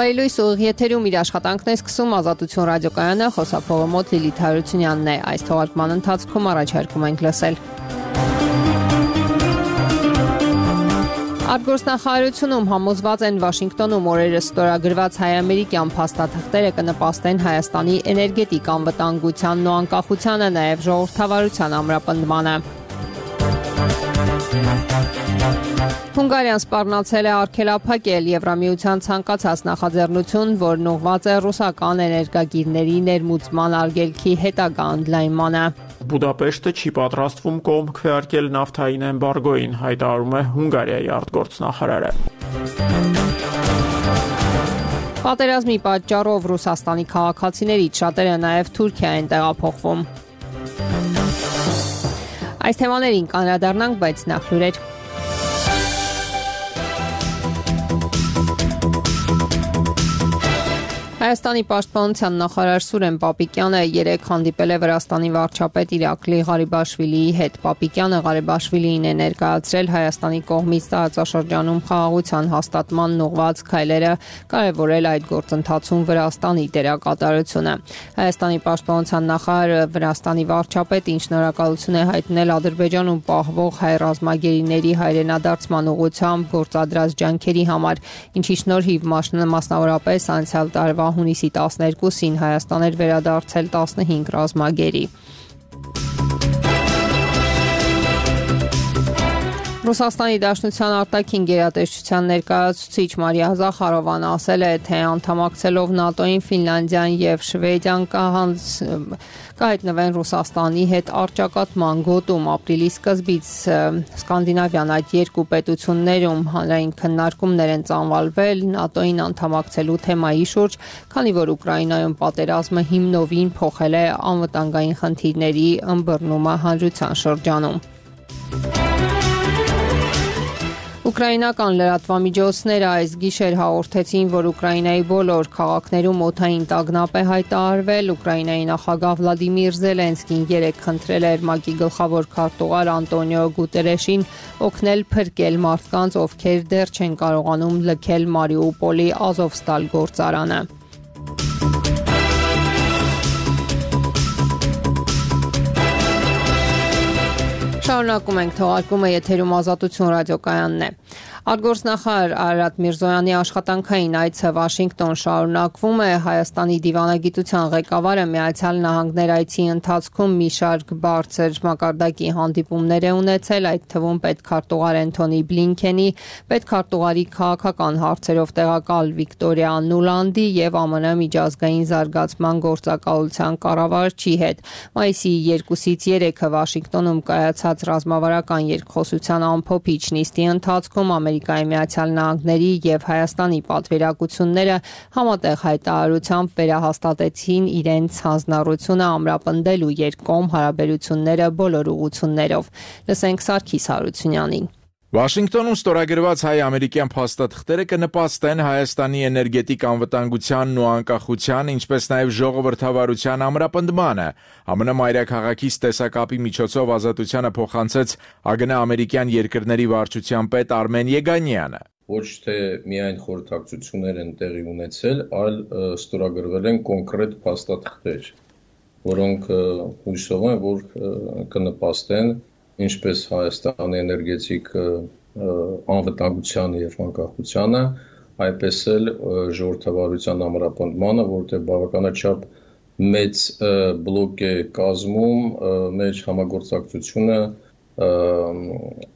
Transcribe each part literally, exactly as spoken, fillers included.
Բայլույս ուղիղ եթերում իր աշխատանքն է սկսում Ազատություն ռադիոկայանը, խոսափողը մոտ Լիլիթ Հարությունյանն է։ Այս թողարկման ընթացքում առաջարկում ենք լսել. Արտգործնախարարությունում համոզված են Վաշինգտոնում օրերս ստորագրված հայ-ամերիկյան փաստաթղթերը կնպաստեն Հայաստանի էներգետիկ անվտանգությանն ու անկախությանը, նաև ժողովրդավարության ամրապնդմանը։ Հունգարիան սպառնացել է արգելափակել Եվրամիության ցանկացած նախաձեռնություն, որն ուղղված է ռուսական էներգագիրների ներմուծման արգելքի հետագա ընդլայնմանը։ Բուդապեշտը չի պատրաստվում կողմ քվեարկել նավթային էմբարգոյին, հայտարարում է Հունգարիայի արտգործնախարարը։ Պատերազմի պատճառով Ռուսաստանի քաղաքացիներից շատերը նաև Թուրքիա են տեղափոխվում։ Այս թեմաներին կանդրադառնանք, բայց նախ լուրեր։ Հայաստանի պաշտպանության նախարար Սուրեն Պապիկյանը երեկ հանդիպել է Վրաստանի վարչապետ Իրակլի Ղարիբաշվիլիի հետ։ Պապիկյանը Ղարիբաշվիլիին է ներկայացրել Հայաստանի կողմից տարածաշրջանում խաղաղության հաստատման ուղղված քայլերը, կարևորել այդ գործընթացում Վրաստանի դերակատարությունը։ Հայաստանի պաշտպանության նախարարը Վրաստանի վարչապետին շնորհակալություն է հայտնել Ադրբեջանում պահվող հայ ռազմագերիների հայրենադարձման ուղղությամբ գործադրած ջանքերի համար, ինչի շնորհիվ մասնավորապես անցյալ տարվա հունիսի տասներկուսին Հայաստան էր վերադարձել տասնհինգ ռազմագերի։ Ռուսաստանի Դաշնության արտաքին գերատեսչության ներկայացուցիչ Մարիա Զախարովան ասել է, թե անդամակցելով ՆԱՏՕ-ին Ֆինլանդիան եւ Շվեդիան կհայտնվեն Ռուսաստանի հետ առճակատման գոտում։ Ապրիլի սկզբից Սկանդինավյան այդ երկու պետություններում հանրային քննարկումներ են ծավալվել ՆԱՏՕ-ին անդամակցելու թեմայի շուրջ, քանի որ Ուկրաինայում պատերազմը հիմնովին փոխել է անվտանգային խնդիրների ըմբռնումը հանրության շրջանում։ Ուկրաինական լրատվամիջոցները այս գիշեր հաղորդեցին, որ Ուկրաինայի բոլոր քաղաքներում օդային տագնապ է հայտարարվել։ Ուկրաինայի նախագահ Վլադիմիր Զելենսկին երեկ խնդրել էր ՄԱԿ-ի գլխավոր քարտուղար Անտոնիո Գուտերեշին օգնել փրկել մարդկանց, ովքեր դեռ չեն կարողանում լքել Մարիուպոլի Ազովստալ գործարանը։ Շարունակում ենք թողարկումը, եթերում Ազատություն ռադիոկայանն է։ Արտգործնախարար Արարատ Միրզոյանի աշխատանքային այցը Վաշինգտոն շարունակվում է։ Հայաստանի դիվանագիտության ղեկավարը Միացյալ Նահանգներ այցի ընթացքում մի շարք բարձր մակարդակի հանդիպումներ է ունեցել, այդ թվում պետքարտուղար Էնթոնի Բլինքենի, պետքարտուղարի քաղաքական հարցերով տեղակալ Վիկտորիա Նուլանդի եւ ԱՄՆ միջազգային զարգացման գործակալության կառավարչի հետ։ Մայիսի երկուսից երեքը Վաշինգտոնում կայացած ռազմավարական երկխոսության ամփոփիչ նիստի ընթացքում Ամերիկայի Միացյալ Նահանգների եւ Հայաստանի պատվիրակությունները համատեղ հայտարարությամբ վերահաստատեցին իրենց հանձնառությունը ամրապնդելու երկկողմ հարաբերությունները բոլոր ուղղություններով։ Լսենք Սարգիս Հարությունյանին։ Վաշինգտոնում ստորագրված հայ-ամերիկյան փաստաթղթերը կնպաստեն Հայաստանի էներգետիկ անվտանգությանն ու անկախության, ինչպես նաև ժողովրդավարության ամրապնդմանը։ ԱՄՆ մայրաքաղաքից տեսակապի միջոցով Ազատությանը փոխանցեց ԱԳՆ-ամերիկյան երկրների վարչության պետ Արմեն Եգանյանը։ Ոչ թե միայն խորհրդակցություններ են տեղի ունեցել, այլ ստորագրվել են կոնկրետ փաստաթղթեր, որոնք հույսով են, որ կնպաստեն ինչպես Հայաստանի էներգետիկ անվտանգությանը եւ անկախությանը, այդպես էլ ժողովրդավարության ամրապնդմանը, որտեղ բավականաչափ մեծ բլոկ է կազմում մեր համագործակցությունը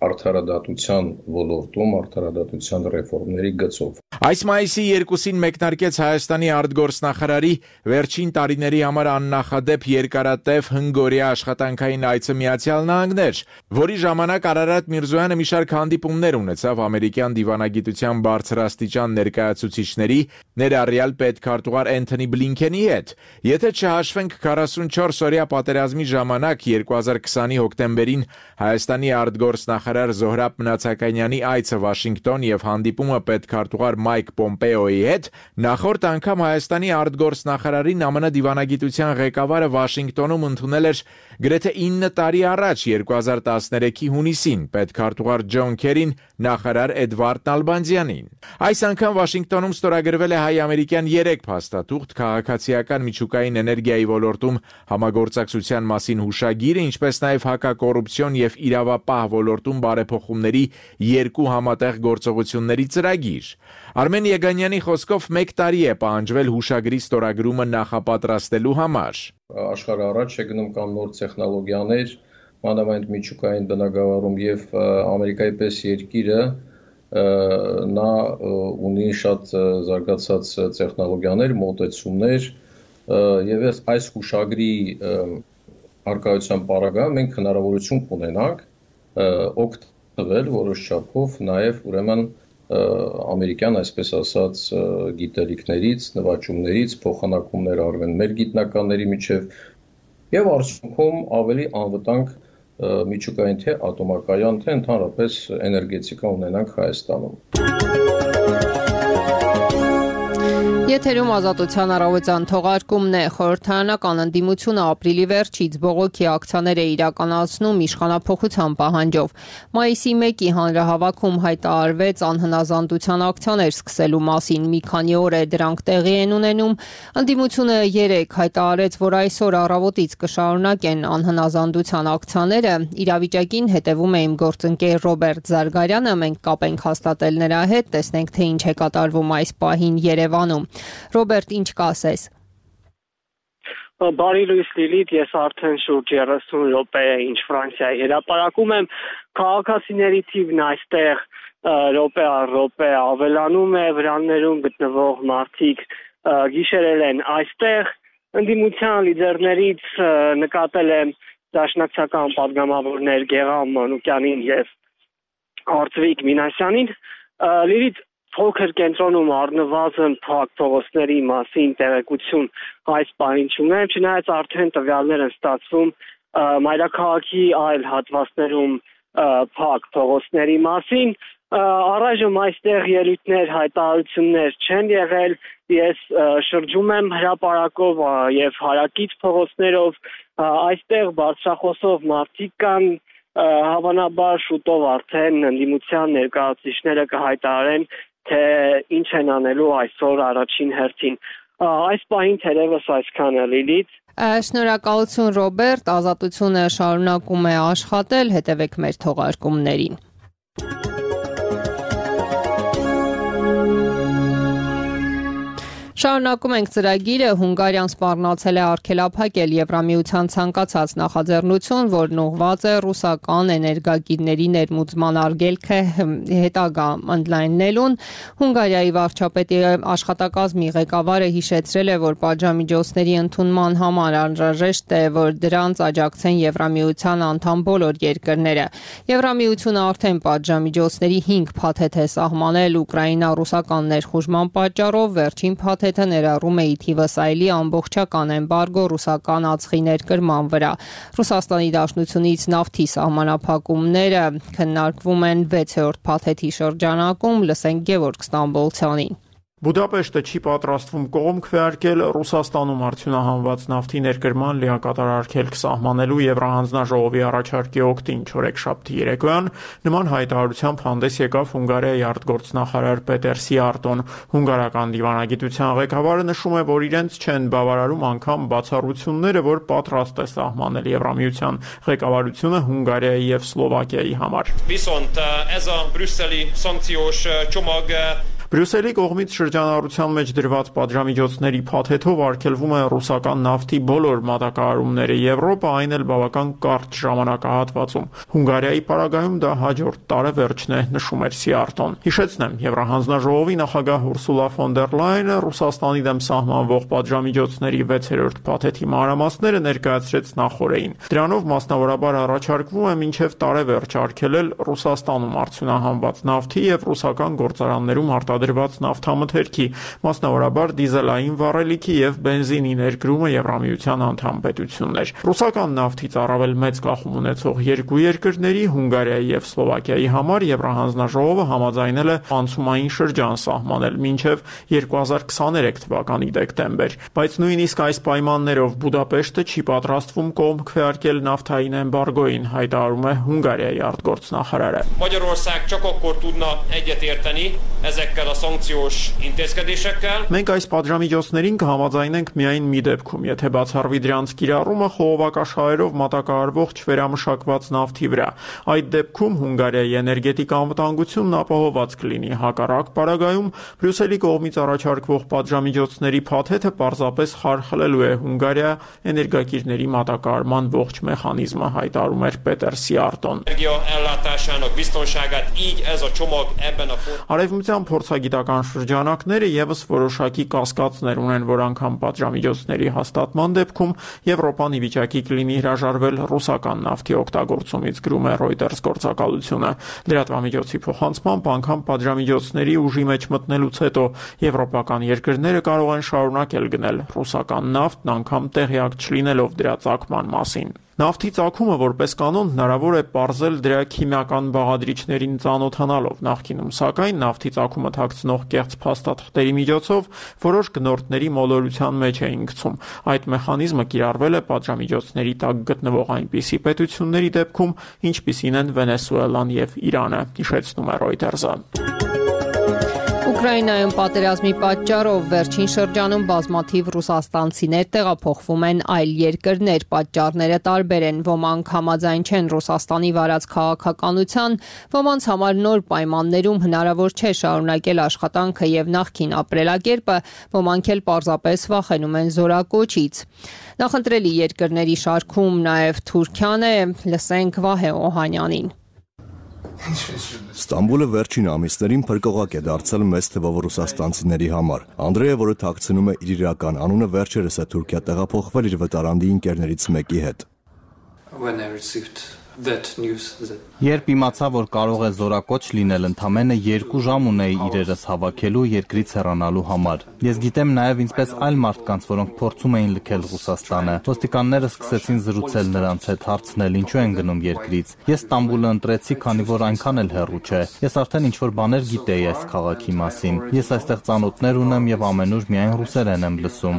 արդարադատության ոլորտում, արդարադատության ռեֆորմների գծով։ Այս մայիսի երկուսին մեկնարկեց Հայաստանի արտգործնախարարի վերջին տարիների համար աննախադեպ երկարատև հնգօրյա աշխատանքային այցը Միացյալ Նահանգներ, որի ժամանակ Արարատ Միրզոյանը մի շարք հանդիպումներ ունեցավ ամերիկյան դիվանագիտության բարձրաստիճան ներկայացուցիչների, ներառյալ պետքարտուղար Էնթոնի Բլինքենի հետ։ Եթե չհաշվենք քառասունչորս օրյա պատերազմի ժամանակ երկու հազար քսանի հոկտեմբերին Հայաստանի արտգործնախարար Զոհրաբ Մնացականյանի այցը Վաշինգտոն եւ հանդիպումը պետքարտուղար Մայք Պոմպեոյի հետ նախորդ անգամ Հայաստանի արտգործնախարարին Է Մը դիվանագիտության ղեկավարը Վաշինգտոնում ընդունել էր գրեթե ինը տարի առաջ երկու հազար տասներեքի հունիսին պետքարտուղար Ջոն Քերին նախարար Էդվարդ Նալբանդյանին։ Այս անգամ Վաշինգտոնում ստորագրվել է հայ-ամերիկյան երեք փաստաթուղթ քաղաքացիական միջուկային էներգիայի ոլորտում համագործակցության մասին հուշագիրը, ինչպես նաև հակակոռուպցիոն եւ իրավապահ ոլորտում բարեփոխումների երկու համատեղ գործողությունների ծրագիր։ Արմեն Եգանյանի խոսքով մեկ տարի է պահանջվել հուշագրի ստորագրումը նախապատրաստելու համար։ Աշխարհը առաջ է գնում կամ նոր տեխնոլոգիաներ, մանավանդ միջուկային բնագավառում եւ Ամերիկայի պես երկիրը նա ունի շատ զարգացած տեխնոլոգիաներ, մոտեցումներ եւ այս հուշագրի արկայության պարագայում մենք հնարավորություն կունենանք օգտվել որոշ չափով նաեւ ուրեմն ամերիկյան, այսպես ասած, գիտելիքներից, նվաճումներից, փոխանակումներ արվեն մեր գիտնականների միջև եւ արդյունքում ավելի անվտանգ միջուկային թե ատոմակայան, թե ընդհանրապես էներգետիկա ունենանք Հայաստանում։ Եթերում Ազատության առավոտյան թողարկումն է։ Խորհրդարանական ընդդիմությունը ապրիլի վերջից բողոքի ակցիաներ է իրականացնում իշխանափոխության պահանջով։ Մայիսի մեկի հանրահավաքում հայտարարվեց անհնազանդության ակցիաներ սկսելու մասին։ Մի քանի օր է դրանք տեղի են ունենում։ Ընդդիմությունը երեկ հայտարարեց, որ այսօր առավոտից կշարունակեն անհնազանդության ակցիաները։ Իրավիճակին հետևում է իմ գործընկեր Ռոբերտ Զարգարյանը։ Մենք կապ ենք հաստատել նրա հետ, տեսնենք թե ինչ է կատարվում այս պահին Երևանում։ Ռոբերտ, ինչ կասես։ Բարի լույս Լիլիթ, ես արդեն շուրջ երեսուն րոպե է ինչ Ֆրանսիայի հրապարակում եմ, քաղաքացիների թիվն այստեղ րոպե առ րոպե ավելանում է, վրաններում գտնվող մարդիկ գիշերել են այստեղ, ընդդիմության լիդերներից նկատել եմ դաշնակցական պատգամավորներ Գեղամ Մանուկյանին եւ Արծվիկ Մինասյանին, Լիլիթ Փոքր կենտրոնում առնվազն փակ փողոցների մասին տեղեկություն այս պահին չունեմ, չնայած արդեն տվյալներ են ստացվում մայրաքաղաքի այլ հատվածներում փակ փողոցների մասին։ Առայժմ այստեղ ելույթներ, հայտարարություններ չեն եղել, ես շրջում եմ հրապարակով եւ հարակից փողոցներով, այստեղ բարձրախոսով մարդիկ կան, հավանաբար շուտով արդեն ընդդիմության ներկայացուցիչները կհայտարարեն թե ինչ են անելու այսօր առաջին հերթին։ Այս պահին թերևս այսքանը Լիլիթ։ Շնորհակալություն Ռոբերտ, Ազատությունը շարունակում է աշխատել, հետևեք մեր թողարկումներին։ Շարունակում ենք ծրագիրը, Հունգարիան սպառնացել է արգելափակել Եվրամիության ցանկացած նախաձեռնություն, որն ուղղված է ռուսական էներգագիրների ներմուծման արգելքը հետագա ընդլայնելուն։ Հունգարիայի վարչապետի աշխատակազմի ղեկավարը հիշեցրել է, որ պատժամիջոցների ընդունման համար անհրաժեշտ է, որ դրանց աջակցեն Եվրամիության անդամ բոլոր երկրները։ Եվրամիությունը արդեն պատժամիջոցների հինգ փաթեթ է սահմանել Ուկրաինա-ռուսական ներխուժման պատճառով, վերջին փաթեթ ներառում է ի թիվս այլի ամբողջական էմբարգո ռուսական ածխի ներկրման վրա։ Ռուսաստանի Դաշնությունից նավթի սահմանափակումները քննարկվում են վեցերորդ փաթեթի շրջանակում, լսենք Գևորգ Ստամբոլցյանին։ Բուդապեշտը չի պատրաստվում կողմ քվեարկել Ռուսաստանում արդյունահանված նավթի ներկրման լիակատար արգելք սահմանելու Եվրահանձնաժողովի առաջարկի օգտին չորեքշաբթի երեկոյան նման հայտարարությամբ հանդես եկավ Հունգարիայի արտգործնախարար Պետեր Սիարտոն։ Հունգարական դիվանագիտության ղեկավարը նշում է, որ իրենց չեն բավարարում անգամ բացառությունները, որ պատրաստ է սահմանել Եվրամիության ղեկավարությունը Հունգարիայի եւ Սլովակիայի համար։ Viszont ez a brüsszeli szankciós csomag Բրյուսելի կողմից շրջանառության մեջ դրված պատժամիջոցների փաթեթով արգելվում է ռուսական նավթի բոլոր մատակարարումները Եվրոպա, այն էլ բավական կարճ ժամանակահատվածում։ Հունգարիայի պարագայում դա հաջորդ տարեվերջն է, նշում էր Սիարտոն։ Հիշեցնեմ, Եվրահանձնաժողովի նախագահ Ուրսուլա ֆոն դեր Լայենը Ռուսաստանի դեմ սահմանվող պատժամիջոցների վեցերորդ փաթեթի մանրամասները ներկայացրեց նախօրեին։ Դրանով մասնավորաբար առաջարկվում է մինչև տարեվերջ արգելել Ռուսաստանում արդյունահանված նավթի եւ ռուսական գործարաններում արտադրված արտադրված նավթամթերքի, մասնավորաբար դիզելային վառելիքի եւ բենզինի ներկրումը Եվրամիության անդամ պետություններ։ Ռուսական նավթից առավել մեծ կախում ունեցող երկու երկրների՝ Հունգարիայի եւ Սլովակիայի համար Եվրահանձնաժողովը համաձայնել է անցումային շրջան սահմանել մինչեւ երկու հազար քսաներեք թվականի դեկտեմբեր, բայց նույնիսկ այս պայմաններով Բուդապեշտը չի պատրաստվում կողմ քվեարկել նավթային էմբարգոին, հայտարարում է Հունգարիայի արտգործնախարարը։ Magyarország csak akkor tudna egyetérteni ezekkel a szankciós intézkedésekkel. Մենք այս պատժամիջոցներին կհամաձայնենք միայն մի դեպքում, եթե բացառվի դրանց կիրառումը խողովակաշահերով մատակարարվող չվերամշակված նավթի վրա։ Այդ դեպքում Հունգարիայի էներգետիկ անվտանգությունն ապահովված կլինի։ Հակառակ պարագայում Բրյուսելի կողմից առաջարկվող պատժամիջոցների փաթեթը պարզապես խարխլելու է Հունգարիա էներգակիրների մատակարարման ողջ մեխանիզմը, հայտարարում էր Պետեր Սիարտոն։ Արևմտյան փորձագիտական շրջանակները եւս որոշակի կասկածներ ունեն, որ անգամ պատժամիջոցների հաստատման դեպքում Եվրոպան ի վիճակի կլինի հրաժարվել ռուսական նավթի օգտագործումից, գրում է Reuters գործակալությունը։ Լրատվամիջոցի փոխանցմամբ անգամ պատժամիջոցների ուժի մեջ մտնելուց հետո եվրոպական երկրները կարող են շարունակել գնել ռուսական նավթն, անգամ տեղյակ չլինելով դրա ծագման մասին։ Նավթի ծագումը որպես կանոն հնարավոր է պարզել դրա քիմիական բաղադրիչներին ծանոթանալով, նախկինում սակայն նավթի ծագումը թաքցնող կեղծ փաստաթղթերի միջոցով որոշ գնորդների մոլորության մեջ էին գցում։ Այդ մեխանիզմը կիրառվել է պատժամիջոցների տակ գտնվող այնպիսի պետությունների դեպքում, ինչպիսին են Վենեսուելան եւ Իրանը, հիշեցնում է Reuters-ը։ Ուկրաինայում պատերազմի պատճառով վերջին շրջանում բազմաթիվ ռուսաստանցիներ տեղափոխվում են այլ երկրներ։ Պատճառները տարբեր են, ոմանք համաձայն չեն Ռուսաստանի վարած քաղաքականության, ոմանց համար նոր պայմաններում հնարավոր չէ շարունակել աշխատանքը եւ նախկին ապրելակերպը, ոմանք էլ պարզապես վախենում են զորակոչից։ Նախընտրելի երկրների շարքում նաեւ Թուրքիան է, լսենք Վահե Օհանյանին։ Ստամբուլը վերջին ամիսներին փրկողակ է դարձել մեծ թվով ռուսաստանցիների համար։ Անդրեյը, որը թաքցնում է իր իրական անունը, վերջերս է Թուրքիա տեղափոխվել իր վտարանդի ընկերներից մեկի հետ։ Երբ իմացա, որ կարող է զորակոչ լինել, ընդամենը երկու ժամ ունեի իրերս հավաքելու երկրից հեռանալու համար։ Ես գիտեմ նաև ինչպես այլ մարդկանց, որոնք փորձում էին լքել Ռուսաստանը։ Ոստիկանները սկսեցին զրուցել նրանց հետ, հարցնել ինչու են գնում երկրից։ Ես Ստամբուլը ընտրեցի, քանի որ այնքան էլ հեռու չէ։ Ես արդեն ինչ-որ բաներ գիտեի այս քաղաքի մասին։ Ես այստեղ ծանոթներ ունեմ եւ ամենուր միայն ռուսերեն եմ լսում։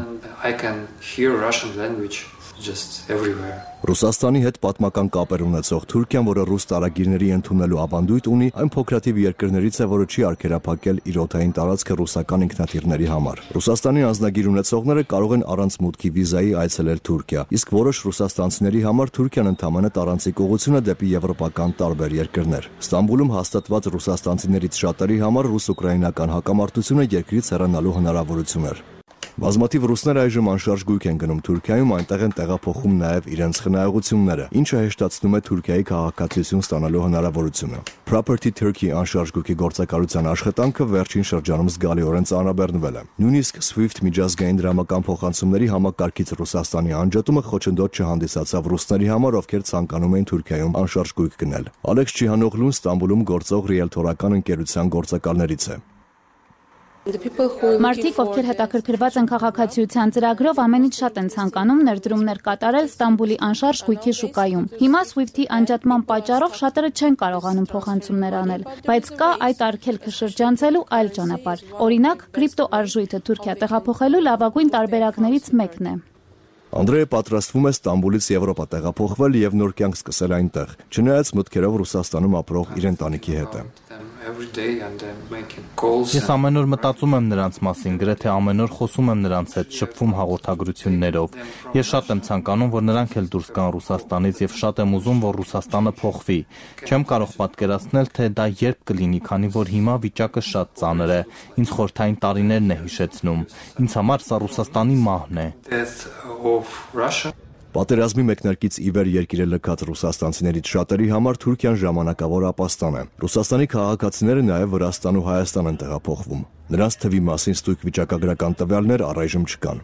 Ռուսաստանի հետ պատմական կապեր ունեցող Թուրքիան, որը ռուս տարագիրների ընդունելու ավանդույթ ունի, այն փոքրաթիվ երկրներից է, որը չի արգելափակել իր օդային տարածքը ռուսական ինքնաթիռների համար։ Ռուսաստանի անձնագիր ունեցողները կարող են առանց մուտքի վիզայի այցելել Թուրքիա, իսկ որոշ ռուսաստանցիների համար Թուրքիան ընդամենը տարանցիկ ուղղություն է դեպի եվրոպական տարբեր երկրներ։ Ստամբուլում հաստատված ռուսաստանցիներից շատերի համար ռուս-ուկրաինական հակամարտությունը երկրից հեռանալու հնարավորություն էր։ Բազմաթիվ ռուսներ այժմ անշարժ գույք են գնում Թուրքիայում, այնտեղ են տեղափոխում նաև իրենց խնայողությունները, ինչը հեշտացնում է Թուրքիայի քաղաքացիություն ստանալու հնարավորությունը։ Property Turkey անշարժ գույքի գործակալության աշխատանքը վերջին շրջանում զգալիորեն ծանրաբեռնվել է։ Նույնիսկ Swift միջազգային դրամական փոխանցումների համակարգից Ռուսաստանի անջատումը խոչընդոտ չհանդիսացավ ռուսների համար, ովքեր ցանկանում էին Թուրքիայում անշարժ գույք գնել։ Ալեքս Չիհանօղլուն Ստամբուլում գործող ռիելթորական ընկերության գործակալներից է։ Մարդիկ, ովքեր հետաքրքրված են քաղաքացիության ծրագրով, ամենից շատ են ցանկանում ներդրումներ կատարել Ստամբուլի անշարժ գույքի շուկայում։ Հիմա Swift-ի անջատման պատճառով շատերը չեն կարողանում փոխանցումներ անել, բայց կա այդ արգելքը շրջանցելու այլ ճանապարհ։ Օրինակ, կրիպտո արժույթը Թուրքիա տեղափոխելու լավագույն տարբերակներից մեկն է։ Անդրեյը պատրաստվում է Ստամբուլից Եվրոպա տեղափոխվել եւ նոր կյանք սկսել այնտեղ, չնայած մտքերով Ռուսաստանում ապրող իր ընտանիքի հետ է։ Ես ամեն օր մտածում եմ նրանց մասին, գրեթե ամեն օր խոսում եմ նրանց հետ, շփվում հաղորդագրություններով։ Ես շատ եմ ցանկանում, որ նրանք էլ դուրս գան Ռուսաստանից եւ շատ եմ ուզում, որ Ռուսաստանը փոխվի։ Չեմ կարող պատկերացնել, թե դա երբ կլինի, քանի որ հիմա վիճակը շատ ծանր է։ Ինձ խորհրդային տարիներն է հիշեցնում։ Ինձ համար սա Ռուսաստանի մահն է։ Պատերազմի մեկնարկից ի վեր երկիրը լքած ռուսաստանցիներից շատերի համար Թուրքիան ժամանակավոր ապաստան է։ Ռուսաստանի քաղաքացիները նաև Վրաստան ու Հայաստան են տեղափոխվում։ Նրանց թվի մասին ստույգ վիճակագրական տվյալներ առայժմ չկան։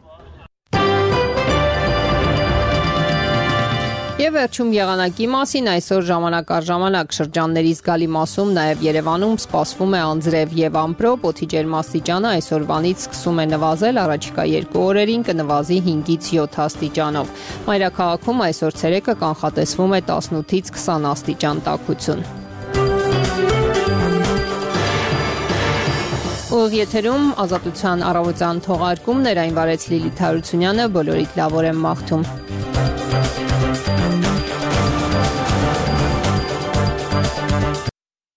Եվ վերջում եղանակի մասին այսօր ժամանակ առ ժամանակ շրջանների զգալի մասում նաև Երևանում սպասվում է անձրև եւ ամպրոպ, օդի ջերմաստիճանը այսօրվանից սկսում է նվազել, առաջիկա երկու օրերին կնվազի հինգից յոթ աստիճանով։ Մայրաքաղաքում այսօր ցերեկը կանխատեսվում է տասնութից քսան աստիճան տաքություն։ Ուղիղ եթերում ազատության առավոտյան թողարկումներ այն վարեց Լիլիթ Հարությունյանը, բոլորիդ լավ օր եմ մաղթում։